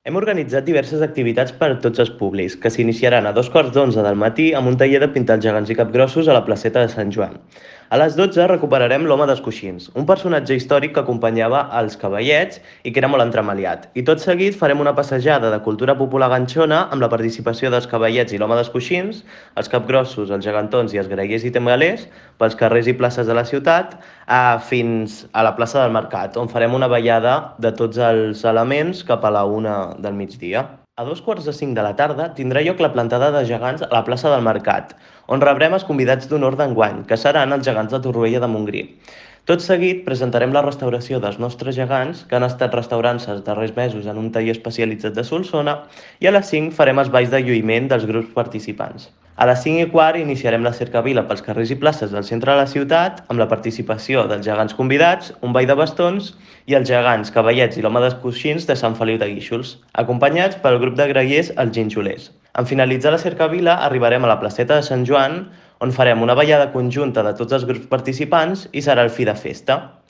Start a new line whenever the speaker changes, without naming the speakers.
Hem organitzat diverses activitats per a tots els públics, que s'iniciaran a 2:15 del matí amb un taller de pintar els gegants i capgrossos a la placeta de Sant Joan. A les 12 recuperarem l'Home dels Coixins, un personatge històric que acompanyava els cavallets i que era molt entremaliat. I tot seguit farem una passejada de cultura popular ganxona amb la participació dels cavallets i l'Home dels Coixins, els capgrossos, els gegantons i els grallers i temgalers pels carrers i places de la ciutat fins a la plaça del Mercat, on farem una ballada de tots els elements cap a la 1 del migdia. A 2:45 de la tarda tindrà lloc la plantada de gegants a la plaça del Mercat, on rebrem els convidats d'honor d'enguany, que seran els gegants de Torroella de Montgrí. Tot seguit presentarem la restauració dels nostres gegants, que han estat restaurant-se els darrers mesos en un taller especialitzat de Solsona, i a les 5 farem els balls de lluïment dels grups participants. A les 5:15 iniciarem la cercavila pels carrers i places del centre de la ciutat amb la participació dels gegants convidats, un ball de bastons i els gegants, cavallets i l'Home dels Coixins de Sant Feliu de Guíxols, acompanyats pel grup de grallers Els Ginxolers. En finalitzar la cercavila arribarem a la placeta de Sant Joan, on farem una ballada conjunta de tots els grups participants i serà el fi de festa.